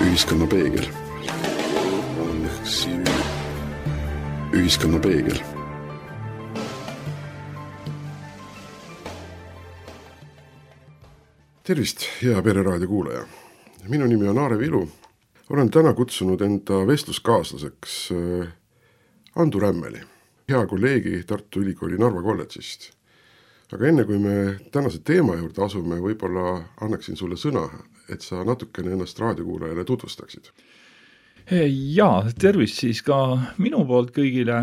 Ühiskonna peegel. Ühiskonna peegel. Tervist, hea Pereraadio kuulaja. Minu nimi on Aare Vilu. Olen täna kutsunud enda vestluskaaslaseks Andu Rämmeli, hea kolleegi Tartu Ülikooli Narva kolledžist. Aga enne kui me tänase teema juurde asume, võib-olla annaksin sulle sõna, et sa natukene ennast raadiokuulajale tutvustaksid. Jaa, tervist siis ka minu poolt kõigile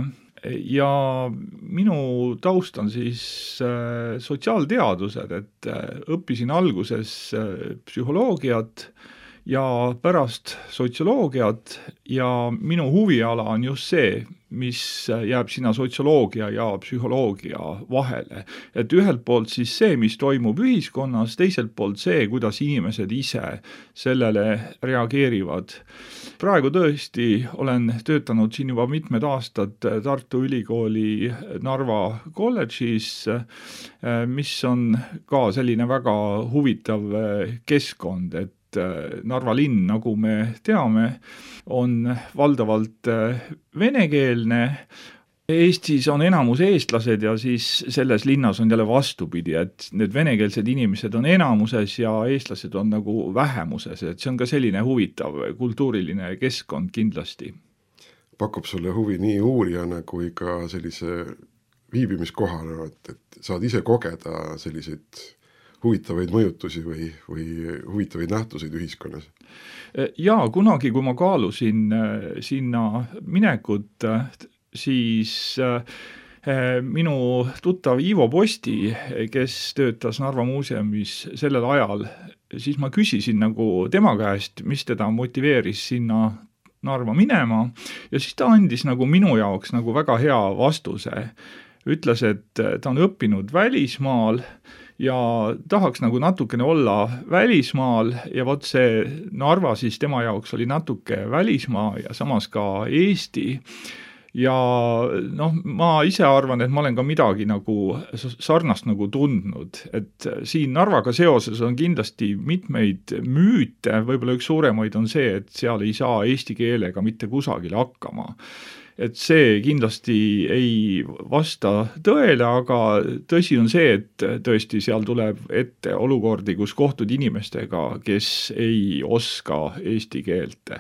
ja minu taust on siis sotsiaalteadused, et õppisin alguses psühholoogiat ja pärast sotsioloogiat ja minu huviala on just see, mis jääb sinna sotsioloogia ja psühholoogia vahele. Et ühelt poolt siis see, mis toimub ühiskonnas, teiselt poolt see, kuidas inimesed ise sellele reageerivad. Praegu tõesti olen töötanud siin juba mitmed aastad Tartu Ülikooli Narva kolledžis, mis on ka selline väga huvitav keskkond, et Narva linn, nagu me teame, on valdavalt venekeelne. Eestis on enamus eestlased ja siis selles linnas on jälle vastupidi, et need venekeelsed inimesed on enamuses ja eestlased on nagu vähemuses, et see on ka selline huvitav kultuuriline keskkond kindlasti. Pakub sulle huvi nii uurijana kui ka sellise viibimiskohana, et saad ise kogeda selliseid huvitavaid mõjutusi või huvitavaid nähtuseid ühiskonnas? Jaa, kunagi, kui ma kaalusin sinna minekut, siis minu tuttav Ivo Posti, kes töötas Narva muuseumis sellel ajal, siis ma küsisin nagu tema käest, mis teda motiveeris sinna Narva minema ja siis ta andis nagu minu jaoks nagu väga hea vastuse. Ütles, et ta on õppinud välismaal ja tahaks nagu natukene olla välismaal ja vot see Narva siis tema jaoks oli natuke välismaa ja samas ka Eesti. Ja ma ise arvan, et ma olen ka midagi nagu sarnast nagu tundnud, et siin Narvaga seoses on kindlasti mitmeid müüte, võib-olla üks suuremaid on see, et seal ei saa eesti keelega mitte kusagil hakkama. Et see kindlasti ei vasta tõele, aga tõsi on see, et tõesti seal tuleb ette olukordi, kus kohtud inimestega, kes ei oska eesti keelt.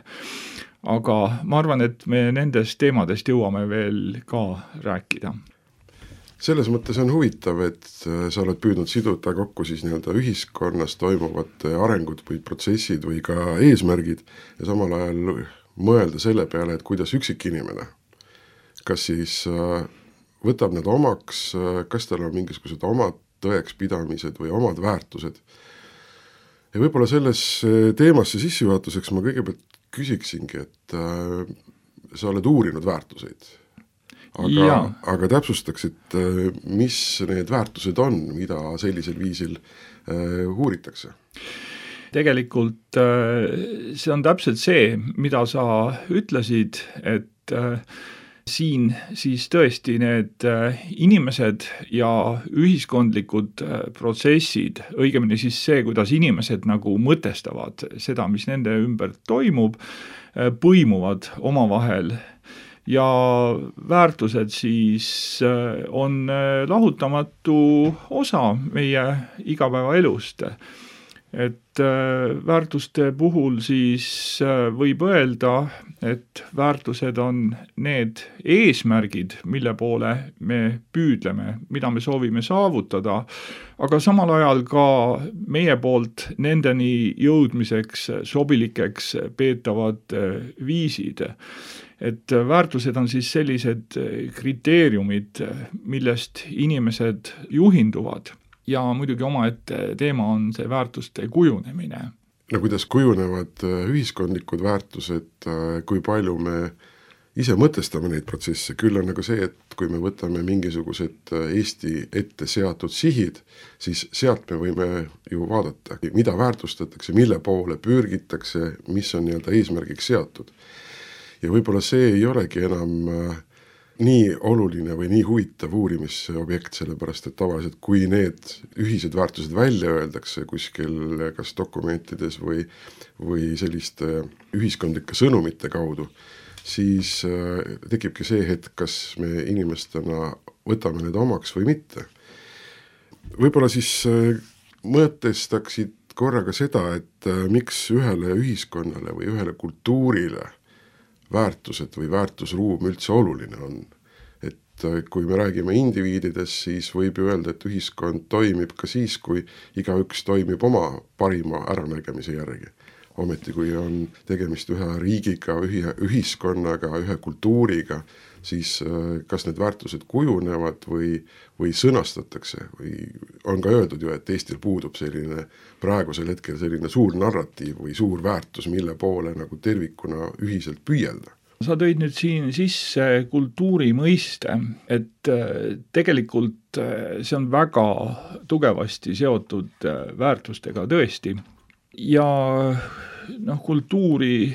Aga ma arvan, et me nendest teemadest jõuame veel ka rääkida. Selles mõttes on huvitav, et sa oled püüdnud siduda kokku siis nii-öelda ühiskonnas toimuvad arengud või protsessid või ka eesmärgid ja samal ajal mõelda selle peale, et kuidas üksik inimene kas siis võtab need omaks, kas tal on mingisugused omad tõekspidamised või omad väärtused. Ja võib-olla selles teemasse sissejuhatuseks ma kõigepealt küsiksingi, et sa oled uurinud väärtuseid. Aga täpsustaksid, mis need väärtused on, mida sellisel viisil uuritakse? Tegelikult see on täpselt see, mida sa ütlesid, et siin siis tõesti need inimesed ja ühiskondlikud protsessid, õigemini siis see, kuidas inimesed nagu mõtestavad seda, mis nende ümber toimub, põimuvad omavahel ja väärtused siis on lahutamatu osa meie igapäevaelust. Et väärtuste puhul siis võib öelda, et väärtused on need eesmärgid, mille poole me püüdleme, mida me soovime saavutada, aga samal ajal ka meie poolt nendeni jõudmiseks sobilikeks peetavad viisid. Et väärtused on siis sellised kriteeriumid, millest inimesed juhinduvad. Ja muidugi omaette teema on see väärtuste kujunemine. No kuidas kujunevad ühiskondlikud väärtused, kui palju me ise mõtestame neid protsesse, küll on nagu see, et kui me võtame mingisugused Eesti ette seatud sihid, siis sealt me võime ju vaadata, mida väärtustatakse, mille poole pürgitakse, mis on nii-öelda eesmärgiks seatud. Ja võib-olla see ei olegi enam nii oluline või nii huvitav uurimisobjekt, sellepärast et tavaliselt kui need ühised väärtused välja öeldakse kuskil kas dokumentides või selliste ühiskondlike sõnumite kaudu, siis tekibki see hetk, kas me inimestena võtame need omaks või mitte. Võib-olla siis mõtestaksid korraga seda, et miks ühele ühiskonnale või ühele kultuurile väärtused või väärtusruum üldse oluline on. Et kui me räägime indiviididest, siis võib ju öelda, et ühiskond toimib ka siis, kui igaüks toimib oma parima äranägemise järgi. Ometi kui on tegemist ühe riigiga, ühiskonnaga, ühe kultuuriga, siis kas need väärtused kujunevad või sõnastatakse või on ka öeldud ju, et Eestil puudub selline praegusel hetkel selline suur narratiiv või suur väärtus, mille poole nagu tervikuna ühiselt püüelda. Sa tõid nüüd siin sisse kultuuri mõiste, et tegelikult see on väga tugevasti seotud väärtustega tõesti ja kultuuri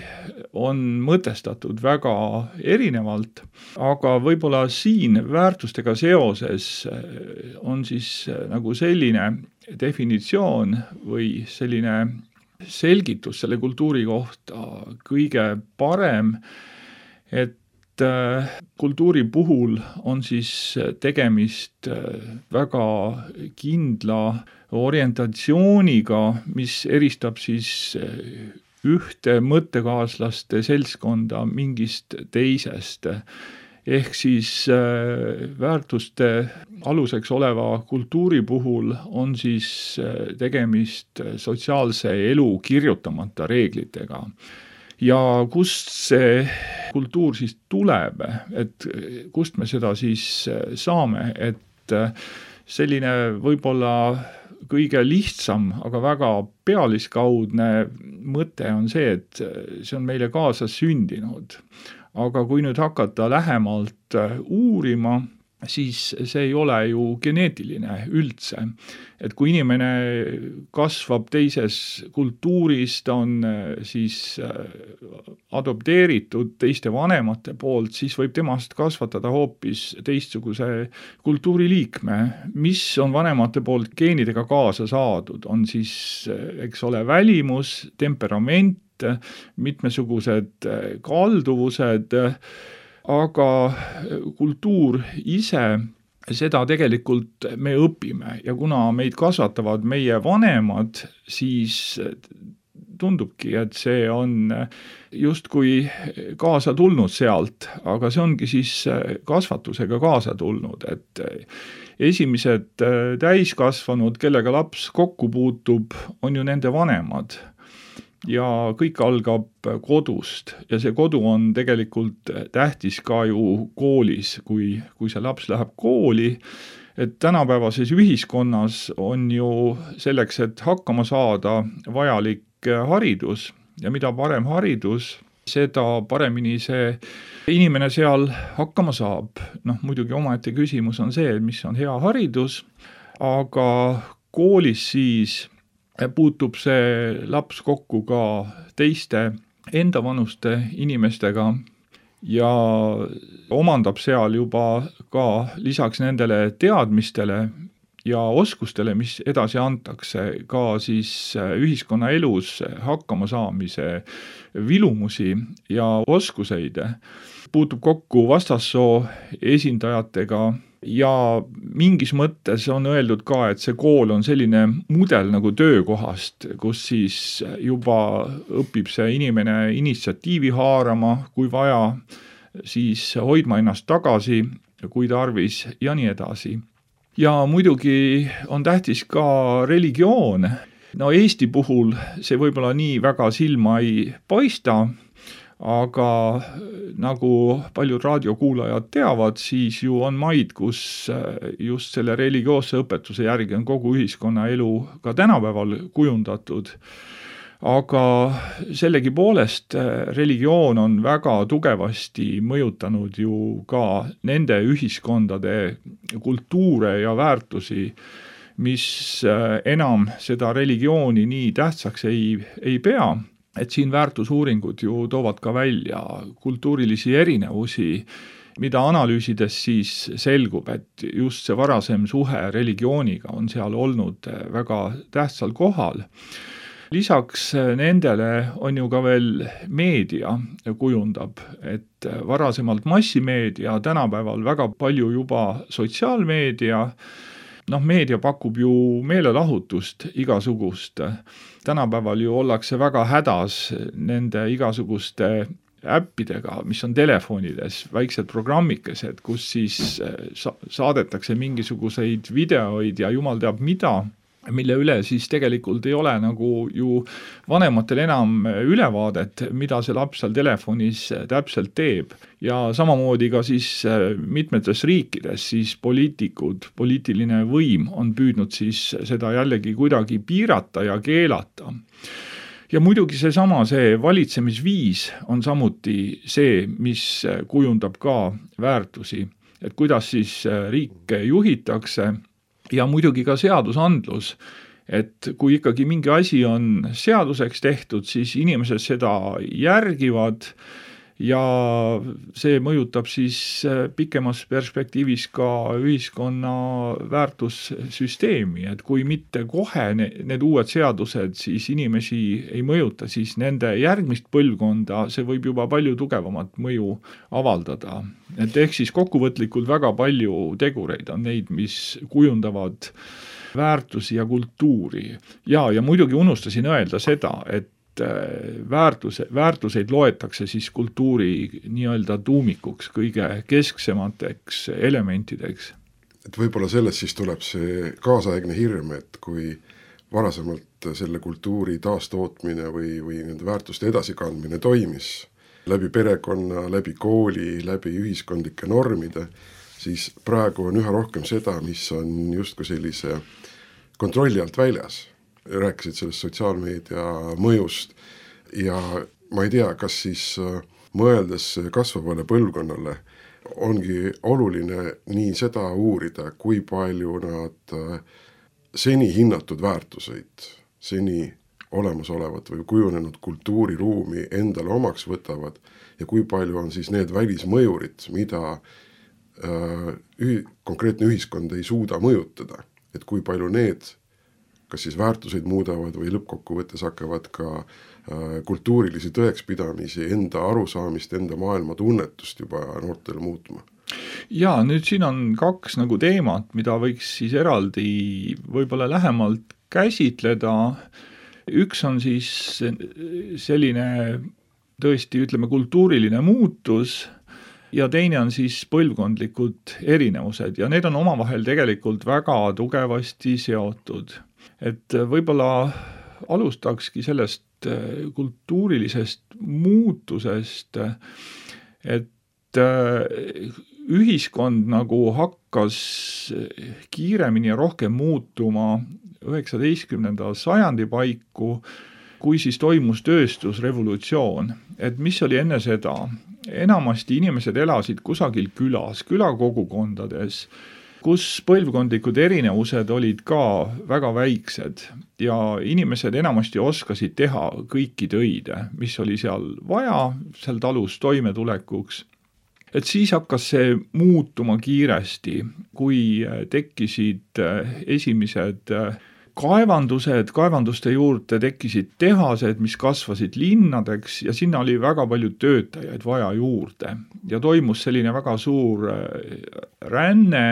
on mõtestatud väga erinevalt, aga võib-olla siin väärtustega seoses on siis nagu selline definitsioon või selline selgitus selle kultuuri kohta kõige parem, et kultuuri puhul on siis tegemist väga kindla orientatsiooniga, mis eristab siis ühte mõttekaaslaste seltskonda mingist teisest. Ehk siis väärtuste aluseks oleva kultuuri puhul on siis tegemist sotsiaalse elu kirjutamata reeglitega. Ja kust see kultuur siis tuleb, et kust me seda siis saame, et selline võib-olla kõige lihtsam, aga väga pealiskaudne mõte on see, et see on meile kaasa sündinud. Aga kui nüüd hakata lähemalt uurima, siis see ei ole ju geneetiline üldse. Et kui inimene kasvab teises kultuuris, ta on siis adopteeritud teiste vanemate poolt, siis võib temast kasvatada hoopis teistsuguse kultuuriliikme, mis on vanemate poolt geenidega kaasa saadud, on siis, eks ole, välimus, temperament, mitmesugused kalduvused, aga kultuur ise, seda tegelikult me õpime ja kuna meid kasvatavad meie vanemad, siis tundubki, et see on justkui kaasa tulnud sealt, aga see ongi siis kasvatusega kaasa tulnud, et esimesed täiskasvanud, kellega laps kokku puutub, on ju nende vanemad. Ja kõik algab kodust ja see kodu on tegelikult tähtis ka ju koolis, kui see laps läheb kooli, et tänapäevases ühiskonnas on ju selleks, et hakkama saada vajalik haridus ja mida parem haridus, seda paremini see inimene seal hakkama saab. Muidugi omaette küsimus on see, mis on hea haridus, aga koolis siis puutub see laps kokku ka teiste enda vanuste inimestega ja omandab seal juba ka lisaks nendele teadmistele ja oskustele, mis edasi antakse, ka siis ühiskonna elus hakkama saamise vilumusi ja oskuseid. Puutub kokku vastassoo esindajatega ja mingis mõttes on öeldud ka, et see kool on selline mudel nagu töökohast, kus siis juba õpib see inimene initsiatiivi haarama, kui vaja, siis hoidma ennast tagasi, kui tarvis ja nii edasi. Ja muidugi on tähtis ka religioon. Eesti puhul see võib-olla nii väga silma ei paista, aga nagu paljud raadiokuulajad teavad, siis ju on maid, kus just selle religioosse õpetuse järgi on kogu ühiskonna elu ka tänapäeval kujundatud. Aga sellegi poolest religioon on väga tugevasti mõjutanud ju ka nende ühiskondade kultuure ja väärtusi, mis enam seda religiooni nii tähtsaks ei pea. Et siin väärtusuuringud ju toovad ka välja kultuurilisi erinevusi mida analüüsides siis selgub, et just see varasem suhe religiooniga on seal olnud väga tähtsal kohal. Lisaks nendele on ju ka veel meedia kujundab, et varasemalt massimeedia, tänapäeval väga palju juba sotsiaalmeedia, meedia pakub ju meelelahutust igasugust. Tänapäeval ju ollakse väga hädas nende igasuguste äppidega, mis on telefonides, väiksed programmikesed, kus siis saadetakse mingisuguseid videoid ja jumal teab mida, mille üle siis tegelikult ei ole nagu ju vanematel enam ülevaadet, mida see laps seal telefonis täpselt teeb. Ja samamoodi ka siis mitmetes riikides siis poliitikud, poliitiline võim on püüdnud siis seda jällegi kuidagi piirata ja keelata. Ja muidugi see valitsemisviis on samuti see, mis kujundab ka väärtusi, et kuidas siis riike juhitakse. Ja muidugi ka seadusandlus, et kui ikkagi mingi asi on seaduseks tehtud, siis inimesed seda järgivad ja see mõjutab siis pikemas perspektiivis ka ühiskonna väärtussüsteemi, et kui mitte kohe need uued seadused siis inimesi ei mõjuta, siis nende järgmist põlvkonda see võib juba palju tugevamat mõju avaldada. Et ehk siis kokkuvõtlikult väga palju tegureid on neid, mis kujundavad väärtusi ja kultuuri. Ja muidugi unustasin öelda seda, et väärtuseid loetakse siis kultuuri nii-öelda tuumikuks, kõige kesksemateks elementideks. Et võib-olla sellest siis tuleb see kaasaegne hirm, et kui varasemalt selle kultuuri taastootmine või nende väärtuste edasikandmine toimis läbi perekonna, läbi kooli, läbi ühiskondlike normide, siis praegu on üha rohkem seda, mis on justkui sellise kontrolli alt väljas. Rääkisid sellest sotsiaalmeedia mõjust ja ma ei tea, kas siis mõeldes kasvavale põlvkonnale ongi oluline nii seda uurida, kui palju nad seni hinnatud väärtuseid, seni olemasolevat või kujunenud kultuuriruumi endale omaks võtavad ja kui palju on siis need välismõjurid, mida konkreetne ühiskond ei suuda mõjutada, et kui palju need kas siis väärtuseid muudavad või lõppkokkuvõttes hakkavad ka kultuurilisi tõekspidamisi, enda arusaamist, enda maailma tunnetust juba noortele muutma. Ja nüüd siin on kaks nagu teemat, mida võiks siis eraldi võib-olla lähemalt käsitleda. Üks on siis selline tõesti, ütleme, kultuuriline muutus ja teine on siis põlvkondlikud erinevused ja need on omavahel tegelikult väga tugevasti seotud. Et võib-olla alustakski sellest kultuurilisest muutusest, et ühiskond nagu hakkas kiiremini ja rohkem muutuma 19. sajandi paiku, kui siis toimus tööstusrevolutsioon. Et mis oli enne seda? Enamasti inimesed elasid kusagil külas, külakogukondades, kus põlvkondlikud erinevused olid ka väga väiksed ja inimesed enamasti oskasid teha kõiki töide, mis oli seal vaja, seal talus toimetulekuks. Et siis hakkas see muutuma kiiresti, kui tekkisid esimesed kaevanduste juurde tekkisid tehased, mis kasvasid linnadeks ja sinna oli väga palju töötajaid vaja juurde. Ja toimus selline väga suur ränne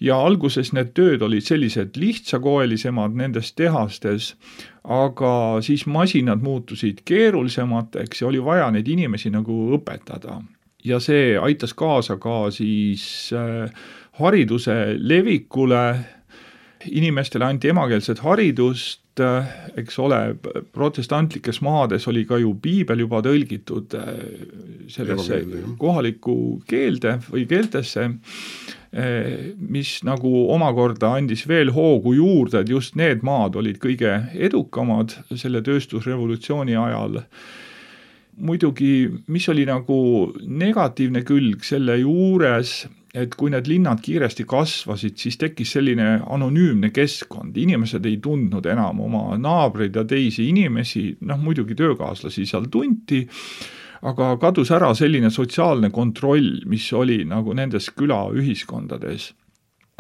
ja alguses need tööd olid sellised lihtsakoelisemad nendes tehastes, aga siis masinad muutusid keerulisemateks ja oli vaja neid inimesi nagu õpetada. Ja see aitas kaasa ka siis hariduse levikule, inimestele anti emakeelset haridust, eks ole, protestantlikes maades oli ka ju piibel juba tõlgitud sellesse kohalikku keelde või keeltesse, mis nagu omakorda andis veel hoogu juurde, et just need maad olid kõige edukamad selle tööstusrevolutsiooni ajal. Muidugi, mis oli nagu negatiivne külg selle juures, et kui need linnad kiiresti kasvasid, siis tekkis selline anonüümne keskkond. Inimesed ei tundnud enam oma naabreid ja teisi inimesi, muidugi töökaaslasi seal tunti, aga kadus ära selline sotsiaalne kontroll, mis oli nagu nendes külaühiskondades.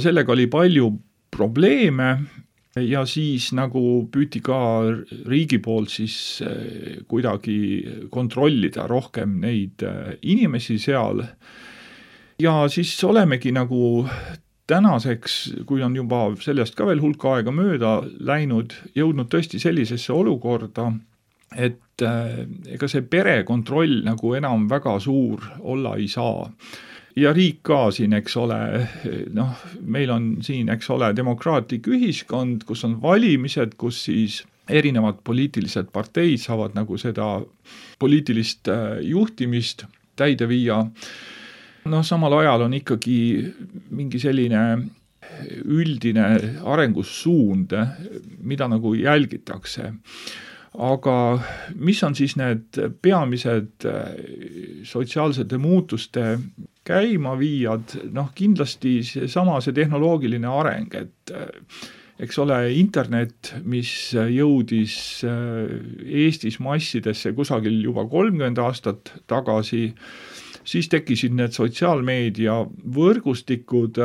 Sellega oli palju probleeme ja siis nagu püüti ka riigi poolt siis kuidagi kontrollida rohkem neid inimesi seal. Ja siis olemegi nagu tänaseks, kui on juba sellest ka veel hulk aega mööda läinud, jõudnud tõesti sellisesse olukorda, et ega see perekontroll nagu enam väga suur olla ei saa. Ja riik ka siin, eks ole, meil on siin, eks ole, demokraatlik ühiskond, kus on valimised, kus siis erinevad poliitilised parteid saavad nagu seda poliitilist juhtimist täide viia. Samal ajal on ikkagi mingi selline üldine arengussuund, mida nagu jälgitakse. Aga mis on siis need peamised sotsiaalsete muutuste käimaviijad? Kindlasti see tehnoloogiline areng, et eks ole, internet, mis jõudis Eestis massidesse kusagil juba 30 aastat tagasi, siis tekkisid need sotsiaalmeedia võrgustikud,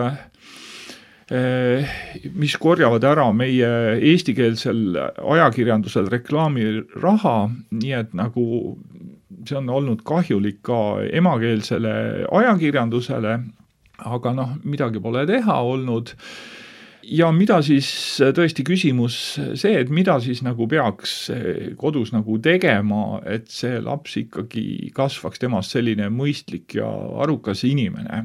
mis korjavad ära meie eestikeelsel ajakirjandusel reklaamiraha, nii et nagu see on olnud kahjulik ka emakeelsele ajakirjandusele, aga midagi pole teha olnud. Ja mida siis tõesti küsimus see, et mida siis nagu peaks kodus nagu tegema, et see laps ikkagi kasvaks temast selline mõistlik ja arukas inimene.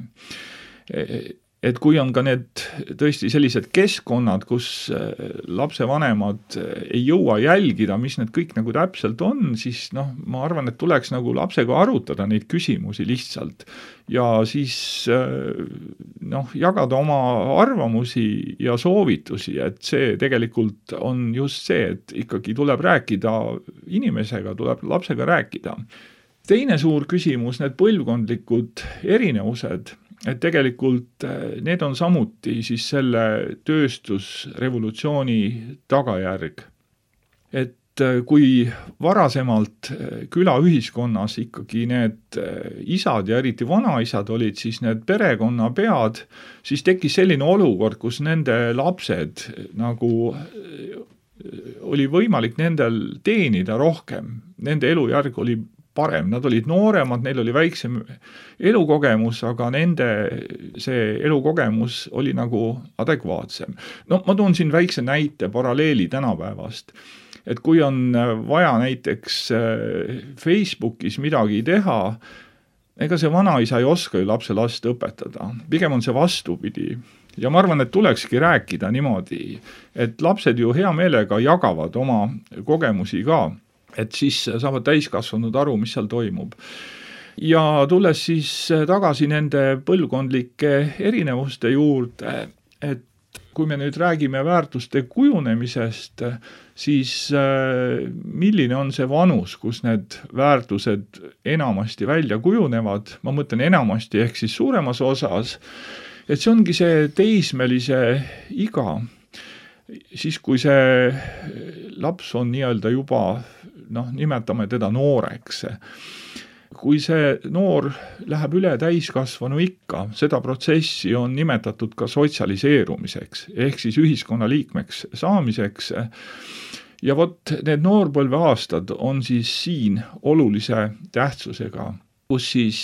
Et kui on ka need tõesti sellised keskkonnad, kus lapsevanemad ei jõua jälgida, mis need kõik nagu täpselt on, siis ma arvan, et tuleks nagu lapsega arutada neid küsimusi lihtsalt ja siis jagada oma arvamusi ja soovitusi, et see tegelikult on just see, et ikkagi tuleb rääkida inimesega, tuleb lapsega rääkida. Teine suur küsimus, need põlvkondlikud erinevused, et tegelikult need on samuti siis selle tööstusrevolutsiooni tagajärg. Et kui varasemalt külaühiskonnas ikkagi need isad ja eriti vanaisad olid siis need perekonnapead, siis tekkis selline olukord, kus nende lapsed nagu oli võimalik nendel teenida rohkem, nende elujärg oli parem, nad olid nooremad, neil oli väiksem elukogemus, aga nende see elukogemus oli nagu adekvaatsem. Ma toon siin väikse näite paralleeli tänapäevast, et kui on vaja näiteks Facebookis midagi teha, ega see vanaisa ei oska ju lapse last õpetada, pigem on see vastupidi. Ja ma arvan, et tulekski rääkida niimoodi, et lapsed ju hea meelega jagavad oma kogemusi ka, et siis saavad täiskasvanud aru, mis seal toimub. Ja tulles siis tagasi nende põlvkondlike erinevuste juurde, et kui me nüüd räägime väärtuste kujunemisest, siis milline on see vanus, kus need väärtused enamasti välja kujunevad, ma mõtlen enamasti ehk siis suuremas osas, et see ongi see teismelise iga, siis kui see laps on nii-öelda juba nimetame teda nooreks. Kui see noor läheb üle täiskasvanu ikka, seda protsessi on nimetatud ka sotsialiseerumiseks, ehk siis ühiskonna liikmeks saamiseks. Ja need noorpõlve aastad on siis siin olulise tähtsusega, kus siis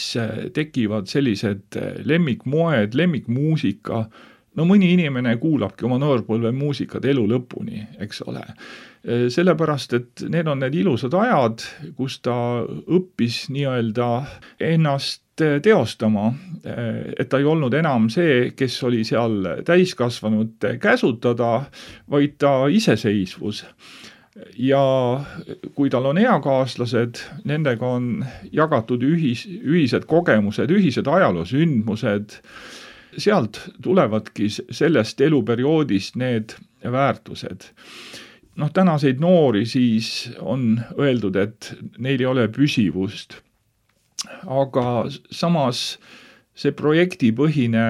tekivad sellised lemmikmoed, lemmikmuusika. Mõni inimene kuulabki oma noorpõlve muusikat elu lõpuni, eks ole. Sellepärast, et need on need ilusad ajad, kus ta õppis nii-öelda ennast teostama, et ta ei olnud enam see, kes oli seal täiskasvanud käsutada, vaid ta iseseisvus. Ja kui tal on eakaaslased, nendega on jagatud ühised kogemused, ühised ajaloosündmused, sealt tulevadki sellest eluperioodist need väärtused. Tänaseid noori siis on öeldud, et neil ei ole püsivust. Aga samas see projektipõhine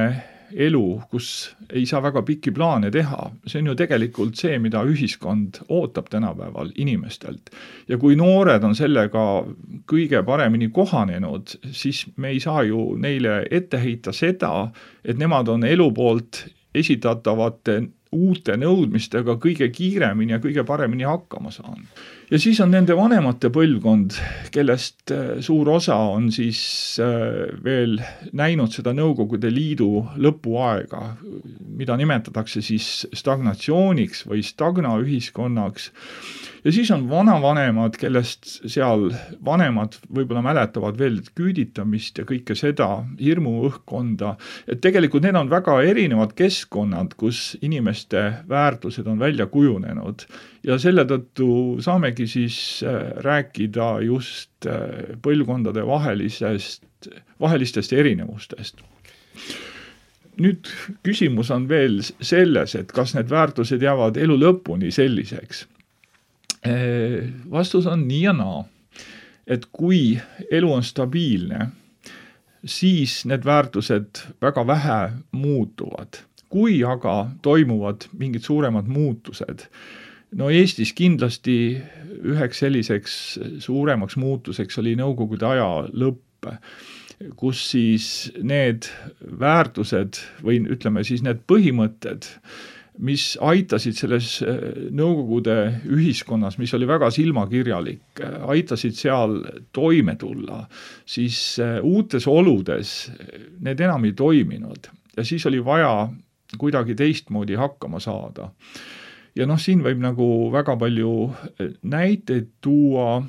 elu, kus ei saa väga pikki plaane teha. See on ju tegelikult see, mida ühiskond ootab tänapäeval inimestelt. Ja kui noored on sellega kõige paremini kohanenud, siis me ei saa ju neile ette heita seda, et nemad on elu poolt esitatavate uute nõudmistega kõige kiiremini ja kõige paremini hakkama saanud. Ja siis on nende vanemate põlvkond, kellest suur osa on siis veel näinud seda Nõukogude Liidu lõpuaega, mida nimetatakse siis stagnatsiooniks või stagnaühiskonnaks. Ja siis on vanavanemad, kellest seal vanemad võib-olla mäletavad veel küüditamist ja kõike seda hirmuõhkkonda. Et tegelikult need on väga erinevad keskkonnad, kus inimeste väärtused on välja kujunenud. Ja selle tõttu saamegi siis rääkida just põlvkondade vahelistest erinevustest. Nüüd küsimus on veel selles, et kas need väärtused jäävad elu lõpuni selliseks. Vastus on nii ja naa, et kui elu on stabiilne, siis need väärtused väga vähe muutuvad. Kui aga toimuvad mingid suuremad muutused, no Eestis kindlasti üheks selliseks suuremaks muutuseks oli Nõukogude aja lõpp, kus siis need väärtused või ütleme siis need põhimõtted, mis aitasid selles Nõukogude ühiskonnas, mis oli väga silmakirjalik, aitasid seal toime tulla, siis uutes oludes need enam ei toiminud ja siis oli vaja kuidagi teistmoodi hakkama saada. Ja siin võib nagu väga palju näiteid tuua,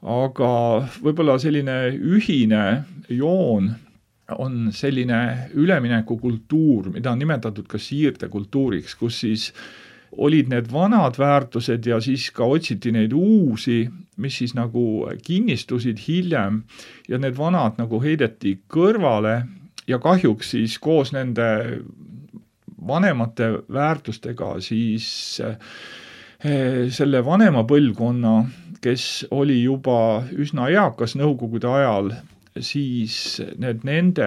aga võib-olla selline ühine joon on selline üleminekukultuur, mida on nimetatud ka siirdekultuuriks, kus siis olid need vanad väärtused ja siis ka otsiti neid uusi, mis siis nagu kinnistusid hiljem ja need vanad nagu heideti kõrvale ja kahjuks siis koos nende vanemate väärtustega siis selle vanema põlvkonna, kes oli juba üsna eakas Nõukogude ajal, siis nende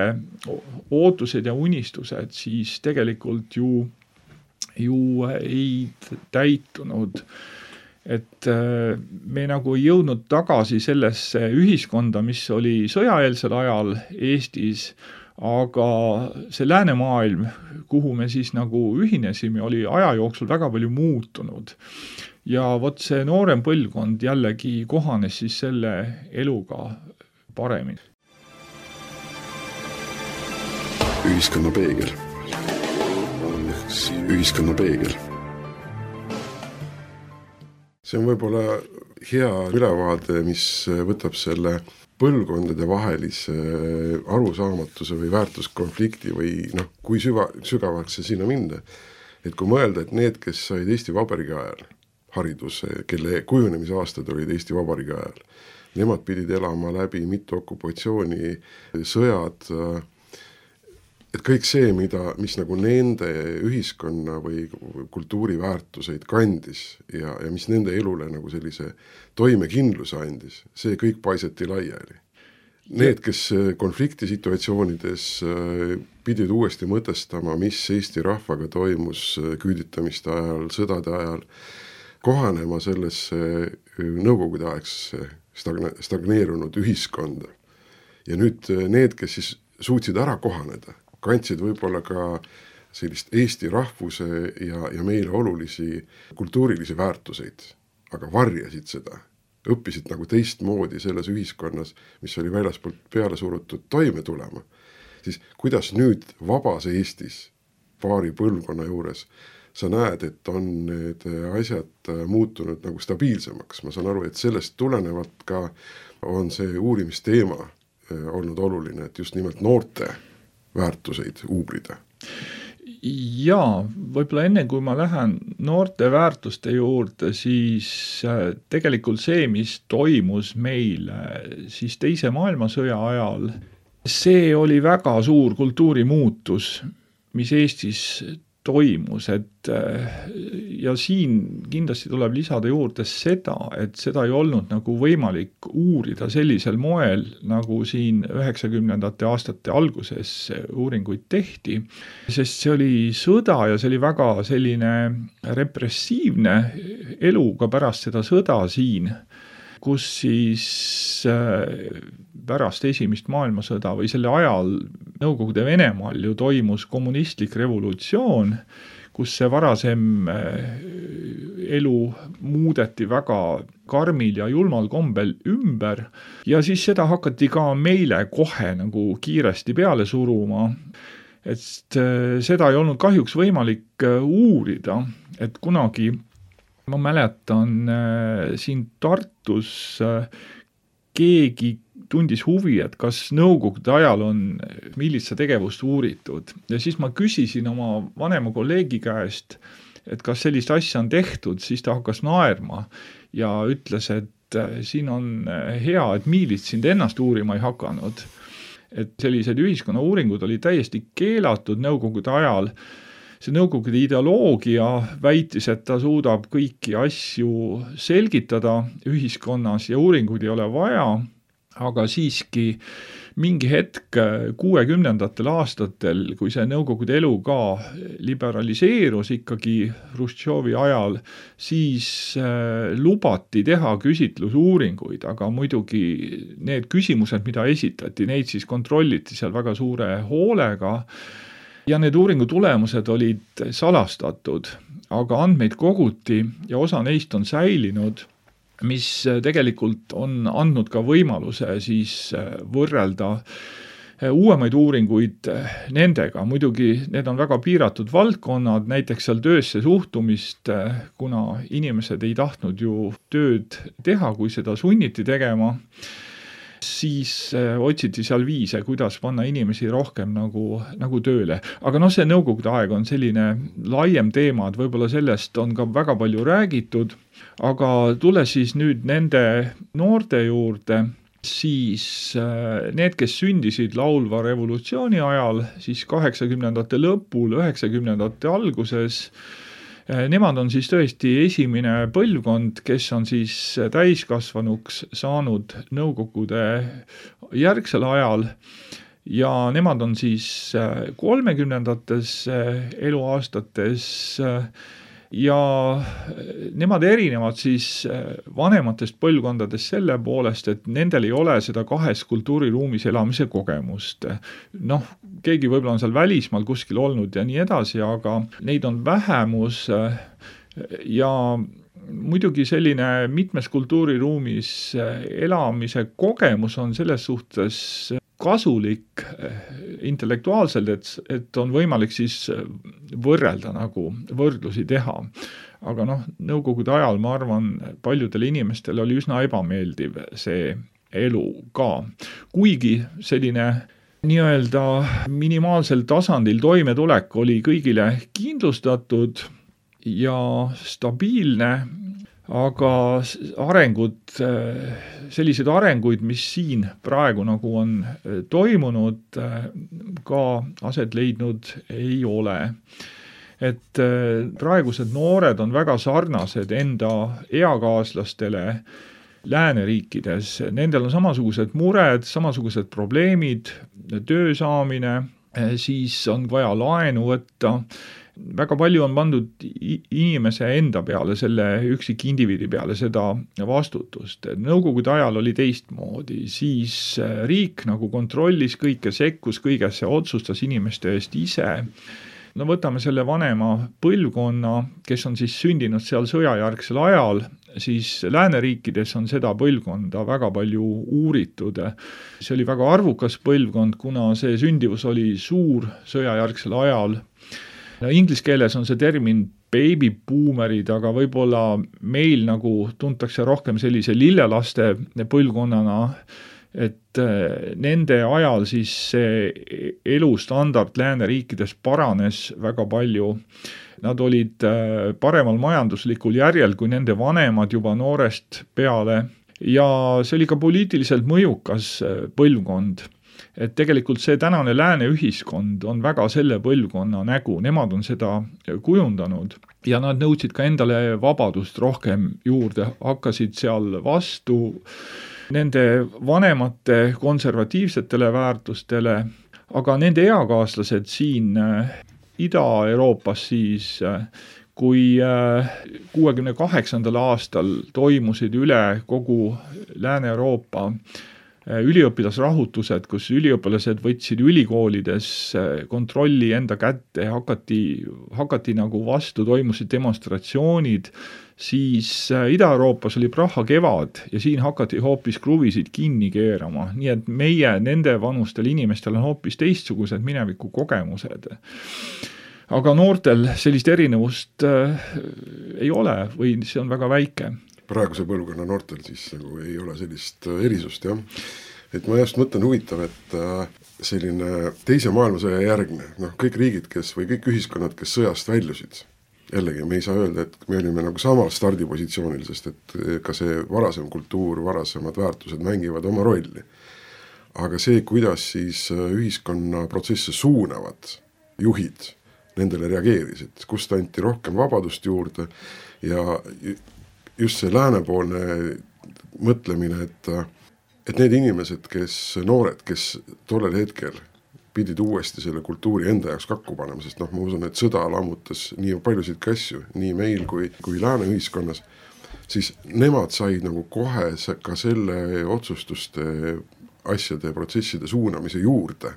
ootused ja unistused siis tegelikult ju ei täitunud. Et me nagu ei jõudnud tagasi sellesse ühiskonda, mis oli sõjaeelsel ajal Eestis, aga see läänemaailm, kuhu me siis nagu ühinesime, oli aja jooksul väga palju muutunud. Ja vot see noorem põlvkond jällegi kohanes siis selle eluga paremini. Ühiskonna peegel. Ühiskonna peegel. See on võib-olla hea ülevaade, mis võtab selle põlvkondade vahelise arusaamatuse või väärtuskonflikti või kui sügavaks see sinna minna. Et kui mõelda, et need, kes said Eesti Vabariigi ajal hariduse, kelle kujunemise aastad olid Eesti Vabariigi ajal, nemad pidid elama läbi mitu okupatsiooni, sõjad, et kõik see, mis nagu nende ühiskonna või kultuuriväärtuseid kandis ja mis nende elule nagu sellise toimekindluse andis, see kõik paiseti laiali. Need, kes konfliktisituatsioonides pidid uuesti mõtestama, mis Eesti rahvaga toimus küüditamiste ajal, sõdade ajal, kohanema sellesse Nõukogude aegsesse stagneerunud ühiskonda. Ja nüüd need, kes siis suutsid ära kohaneda, kandsid võib-olla ka sellist Eesti rahvuse ja meile olulisi kultuurilisi väärtuseid, aga varjasid seda, õppisid nagu teistmoodi selles ühiskonnas, mis oli väljaspoolt peale surutud toime tulema, siis kuidas nüüd vabas Eestis paari põlvkonna juures sa näed, et on need asjad muutunud nagu stabiilsemaks. Ma saan aru, et sellest tulenevalt ka on see uurimisteema olnud oluline, et just nimelt noorte väärtuseid uubrida. Jaa, võib-olla enne kui ma lähen noorte väärtuste juurde, siis tegelikult see, mis toimus meil siis teise maailmasõja ajal, see oli väga suur kultuurimuutus, mis Eestis toimus, ja siin kindlasti tuleb lisada juurde seda, et seda ei olnud nagu võimalik uurida sellisel moel, nagu siin 90ndate aastate alguses uuringuid tehti, sest see oli sõda ja see oli väga selline repressiivne elu ka pärast seda sõda siin, kus siis pärast esimest maailmasõda või selle ajal Nõukogude Venemaal ju toimus kommunistlik revolutsioon, kus see varasem elu muudeti väga karmil ja julmal kombel ümber ja siis seda hakati ka meile kohe nagu kiiresti peale suruma, et seda ei olnud kahjuks võimalik uurida, et kunagi ma mäletan siin Tartus keegi tundis huvi, et kas Nõukogude ajal on millist tegevust uuritud. Ja siis ma küsisin oma vanema kolleegi käest, et kas sellist asja on tehtud, siis ta hakkas naerma ja ütles, et siin on hea, et miilits sind ennast uurima ei hakanud. Et sellised ühiskonna uuringud oli täiesti keelatud Nõukogude ajal. See Nõukogude ideoloogia väitis, et ta suudab kõiki asju selgitada ühiskonnas ja uuringuid ei ole vaja, aga siiski mingi hetk 60ndatel aastatel, kui see Nõukogude elu ka liberaliseerus ikkagi Hruštšovi ajal, siis lubati teha küsitlusuuringuid, aga muidugi need küsimused, mida esitati, neid siis kontrolliti seal väga suure hoolega ja need uuringu tulemused olid salastatud, aga andmeid koguti ja osa neist on säilinud, mis tegelikult on andnud ka võimaluse siis võrrelda uuemaid uuringuid nendega. Muidugi need on väga piiratud valdkonnad, näiteks seal töösse suhtumist, kuna inimesed ei tahtnud ju tööd teha, kui seda sunniti tegema, siis otsiti seal viise, kuidas panna inimesi rohkem nagu tööle. Aga see Nõukogude aeg on selline laiem teema, et võib-olla sellest on ka väga palju räägitud, aga tule siis nüüd nende noorte juurde, siis need, kes sündisid laulva revolutsiooni ajal, siis 80ndate lõpul, 90ndate alguses, nemad on siis tõesti esimene põlvkond, kes on siis täiskasvanuks saanud Nõukogude järgsel ajal ja nemad on siis 30ndates eluaastates ja nemad erinevad siis vanematest põlvkondadest selle poolest, et nendel ei ole seda kahes kultuuriruumis elamise kogemust. Keegi võib-olla on seal välismaal kuskil olnud ja nii edasi, aga neid on vähemus ja muidugi selline mitmes kultuuriruumis elamise kogemus on selles suhtes kasulik intellektuaalselt, et on võimalik siis võrrelda nagu võrdlusi teha. Aga Nõukogude ajal, ma arvan, paljudele inimestele oli üsna ebameeldiv see elu ka. Kuigi selline nii-öelda minimaalsel tasandil toimetulek oli kõigile kindlustatud ja stabiilne, aga sellised arenguid, mis siin praegu nagu on toimunud, ka aset leidnud ei ole. Et praegused noored on väga sarnased enda eakaaslastele lääneriikides. Nendel on samasugused mured, samasugused probleemid, töö saamine, siis on vaja laenu võtta. Väga palju on pandud inimese enda peale, selle üksik indiviidi peale seda vastutust. Nõukogude ajal oli teistmoodi, siis riik nagu kontrollis kõike, sekkus kõigesse, otsustas inimeste eest ise. Võtame selle vanema põlvkonna, kes on siis sündinud seal sõjajärgsel ajal, siis lääneriikides on seda põlvkonda väga palju uuritud. See oli väga arvukas põlvkond, kuna see sündivus oli suur sõjajärgsel ajal. Inglis keeles on see termin baby-boomerid, aga võib-olla meil nagu tuntakse rohkem sellise lillelaste põlvkonnana, et nende ajal siis see elustandard lääneriikides paranes väga palju. Nad olid paremal majanduslikul järjel kui nende vanemad juba noorest peale ja see oli ka poliitiliselt mõjukas põlvkond. et tegelikult see tänane lääne ühiskond on väga selle põlvkonna nägu, nemad on seda kujundanud ja nad nõudsid ka endale vabadust rohkem juurde, hakkasid seal vastu nende vanemate konservatiivsetele väärtustele, aga nende eakaaslased siin Ida-Euroopas siis, kui 68. aastal toimusid üle kogu Lääne-Euroopa üliõpilasrahutused, kus üliõpilased võtsid ülikoolides kontrolli enda kätte, hakati nagu vastu, toimusid demonstratsioonid, siis Ida-Euroopas oli Praha kevad ja siin hakati hoopis kruvisid kinni keerama, nii et meie nende vanustel inimestel on hoopis teistsugused mineviku kogemused. Aga noortel sellist erinevust ei ole või see on väga väike. Praeguse põlvkonna noortel siis nagu ei ole sellist erisust, jah. Et ma just mõtlen huvitav, et selline teise maailmasõja järgne, kõik riigid, või kõik ühiskonnad, kes sõjast väljusid, jällegi me ei saa öelda, et me olime nagu samal stardipositsioonil, sest et ka see varasem kultuur, varasemad väärtused mängivad oma rolli. Aga see, kuidas siis ühiskonna protsesse suunavad juhid nendele reageerisid, kust anti rohkem vabadust juurde ja just see läänepoolne mõtlemine, et need inimesed, noored, kes tollel hetkel pidid uuesti selle kultuuri enda jaoks kakku panema, sest ma usun, et sõda lammutas nii paljusid asju, nii meil kui lääne ühiskonnas, siis nemad said nagu kohe ka selle otsustuste, asjade, protsesside suunamise juurde.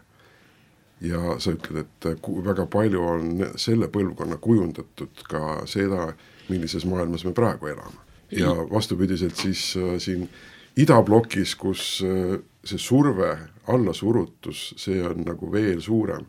Ja sa ütled, et väga palju on selle põlvkonna kujundatud ka seda, millises maailmas me praegu elame. Ja vastupidiselt siis siin idablokis, kus see surve, allasurutus, see on nagu veel suurem.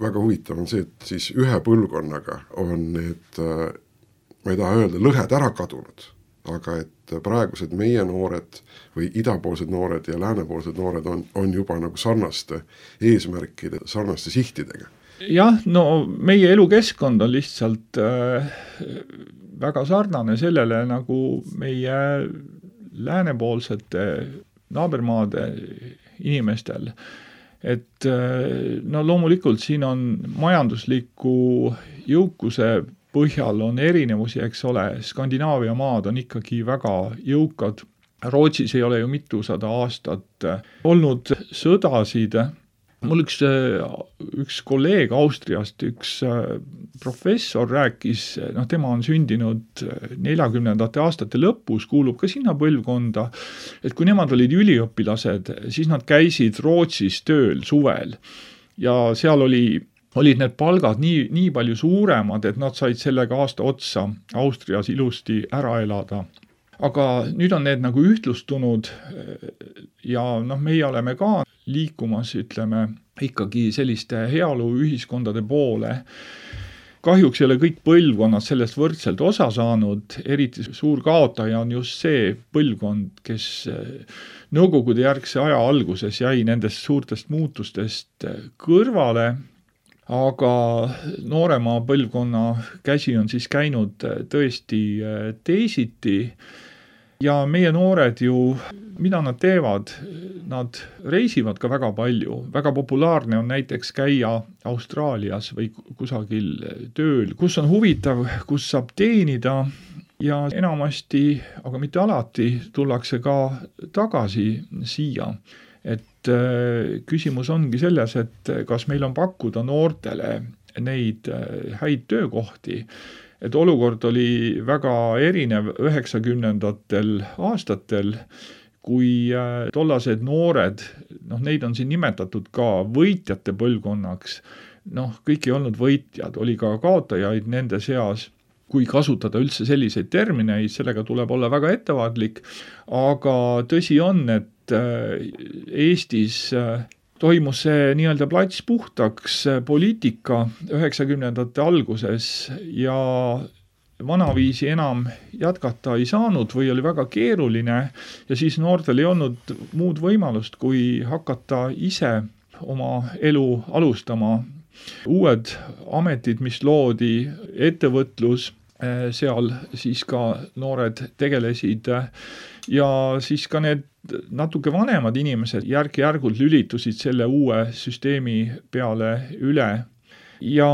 Väga huvitav on see, et siis ühe põlvkonnaga on need, ma ei taha öelda, lõhed ära kadunud, aga et praegused meie noored või idapoolsed noored ja läänepoolsed noored on juba nagu sarnaste eesmärkide, sarnaste sihtidega. Jah, no meie elukeskkond on lihtsalt väga sarnane sellele nagu meie läänepoolsete naabermaade inimestel. Et no loomulikult siin on majandusliku jõukuse põhjal on erinevusi, eks ole, Skandinaavia maad on ikkagi väga jõukad, Rootsis ei ole ju mitusada aastat olnud sõdasid. Mul üks kolleeg Austriast, üks professor rääkis, tema on sündinud 40. aastate lõpus, kuulub ka sinna põlvkonda, et kui nemad olid üliõpilased, siis nad käisid Rootsis tööl suvel ja seal olid need palgad nii palju suuremad, et nad said sellega aasta otsa Austrias ilusti ära elada. Aga nüüd on need nagu ühtlustunud ja meie oleme ka liikumas, ütleme, ikkagi selliste heaolu ühiskondade poole. Kahjuks ei ole kõik põlvkonnad sellest võrdselt osa saanud, eriti suur kaotaja on just see põlvkond, kes nõukogude järgse aja alguses jäi nendest suurtest muutustest kõrvale, aga noorema põlvkonna käsi on siis käinud tõesti teisiti. Ja meie noored ju, mida nad teevad, nad reisivad ka väga palju. Väga populaarne on näiteks käia Austraalias või kusagil tööl, kus on huvitav, kus saab teenida ja enamasti, aga mitte alati, tullakse ka tagasi siia. Et küsimus ongi selles, et kas meil on pakkuda noortele neid häid töökohti. Et olukord oli väga erinev 90. aastatel, kui tollased noored, neid on siin nimetatud ka võitjate põlvkonnaks, kõik ei olnud võitjad, oli ka kaotajaid nende seas, kui kasutada üldse selliseid termineid, sellega tuleb olla väga ettevaatlik, aga tõsi on, et Eestis toimus see nii-öelda plats puhtaks poliitika 90. alguses ja vanaviisi enam jätkata ei saanud või oli väga keeruline ja siis noortel ei olnud muud võimalust, kui hakata ise oma elu alustama. Uued ametid, mis loodi, ettevõtlus, seal siis ka noored tegelesid ja siis ka need natuke vanemad inimesed järk-järgult lülitusid selle uue süsteemi peale üle ja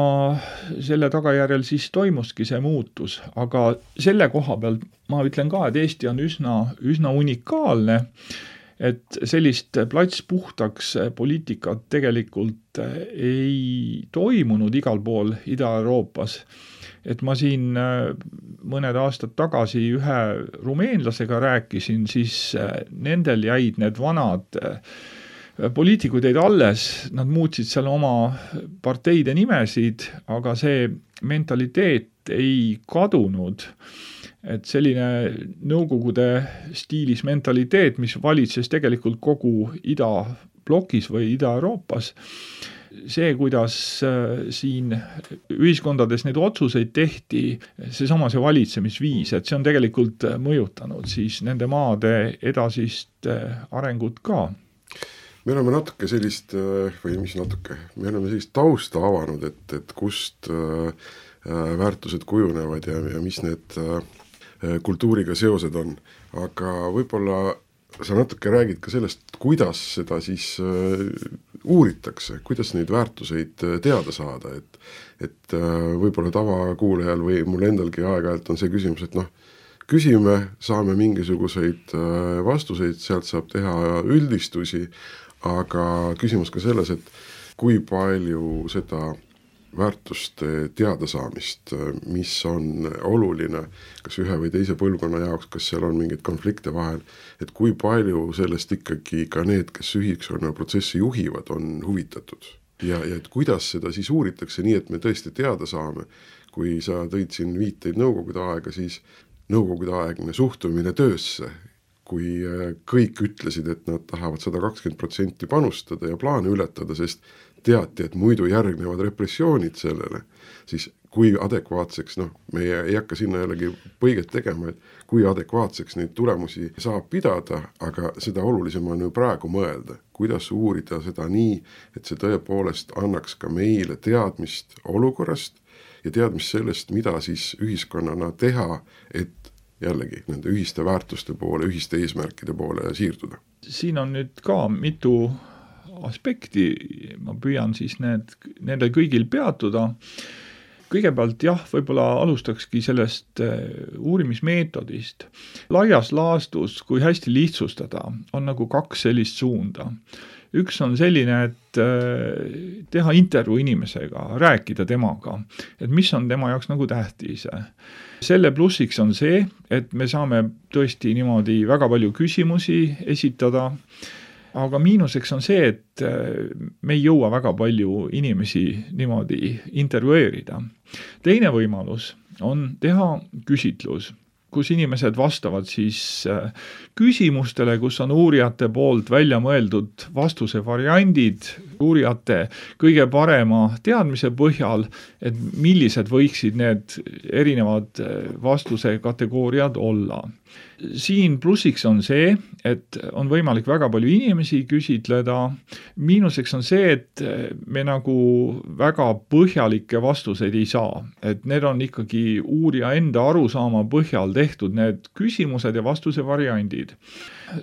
selle tagajärjel siis toimuski see muutus, aga selle koha peal ma ütlen ka, et Eesti on üsna unikaalne, et sellist plats puhtaks poliitikat tegelikult ei toimunud igal pool Ida-Euroopas. Et ma siin mõned aastad tagasi ühe rumeenlasega rääkisin, siis nendel jäid need vanad poliitikud jäid alles, nad muutsid seal oma parteide nimesid, aga see mentaliteet ei kadunud. Et selline nõukogude stiilis mentaliteet, mis valitses tegelikult kogu Ida-blokis või Ida-Euroopas, see, kuidas siin ühiskondades neid otsuseid tehti, see valitsemisviis, et see on tegelikult mõjutanud siis nende maade edasist arengut ka. Me oleme natuke sellist, või mis natuke, me oleme sellist tausta avanud, et kust väärtused kujunevad ja mis need kultuuriga seosed on. Aga võib-olla sa natuke räägid ka sellest, kuidas seda siis uuritakse, kuidas neid väärtuseid teada saada, et võib-olla tavakuulajal või mul endalgi aeg-ajalt on see küsimus, et küsime, saame mingisuguseid vastuseid, sealt saab teha üldistusi, aga küsimus ka selles, et kui palju seda väärtuste teadasaamist, mis on oluline, kas ühe või teise põlvkonna jaoks, kas seal on mingeid konflikte vahel, et kui palju sellest ikkagi ka need, kes ühiskonna protsessi juhivad, on huvitatud. Ja et kuidas seda siis uuritakse nii, et me tõesti teada saame, kui sa tõid siin viiteid nõukogude aega, siis nõukogude aegne suhtumine töösse, kui kõik ütlesid, et nad tahavad 120% panustada ja plaane ületada, sest teati, et muidu järgnevad repressioonid sellele, siis kui adekvaatseks, me ei hakka sinna jällegi põiget tegema, et kui adekvaatseks neid tulemusi saab pidada, aga seda olulisem on ju praegu mõelda, kuidas uurida seda nii, et see tõepoolest annaks ka meile teadmist olukorrast ja teadmist sellest, mida siis ühiskonnana teha, et jällegi nende ühiste väärtuste poole, ühiste eesmärkide poole siirduda. Siin on nüüd ka mitu aspekti, ma püüan siis nendel kõigil peatuda. Kõigepealt võib-olla alustakski sellest uurimismeetodist. Laias laastus, kui hästi lihtsustada, on nagu kaks sellist suunda. Üks on selline, et teha intervjuu inimesega, rääkida temaga, et mis on tema jaoks nagu tähtis. Selle plussiks on see, et me saame tõesti niimoodi väga palju küsimusi esitada, aga miinuseks on see, et me ei jõua väga palju inimesi niimoodi intervjueerida. Teine võimalus on teha küsitlus, kus inimesed vastavad siis küsimustele, kus on uurijate poolt välja mõeldud vastuse variandid, uurijate kõige parema teadmise põhjal, et millised võiksid need erinevad vastuse kategooriad olla. Siin plussiks on see, et on võimalik väga palju inimesi küsitleda. Miinuseks on see, et me nagu väga põhjalikke vastuseid ei saa. Et need on ikkagi uurija enda arusaama põhjal tehtud need küsimused ja vastuse variandid.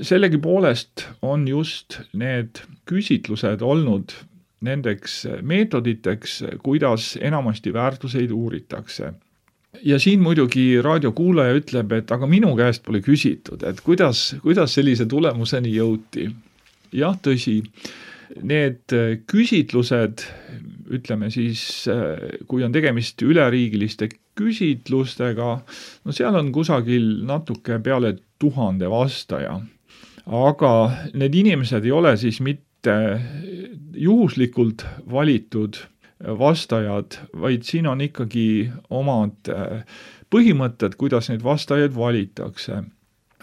Sellegi poolest on just need küsitlused olnud nendeks meetoditeks, kuidas enamasti väärtuseid uuritakse. Ja siin muidugi raadiokuulaja ütleb, et aga minu käest pole küsitud, et kuidas sellise tulemuseni jõuti. Jah, tõsi, need küsitlused, ütleme siis, kui on tegemist üleriigiliste küsitlustega, seal on kusagil natuke peale 1000 vastaja. Aga need inimesed ei ole siis mitte juhuslikult valitud vastajad, vaid siin on ikkagi omad põhimõtted, kuidas neid vastajaid valitakse.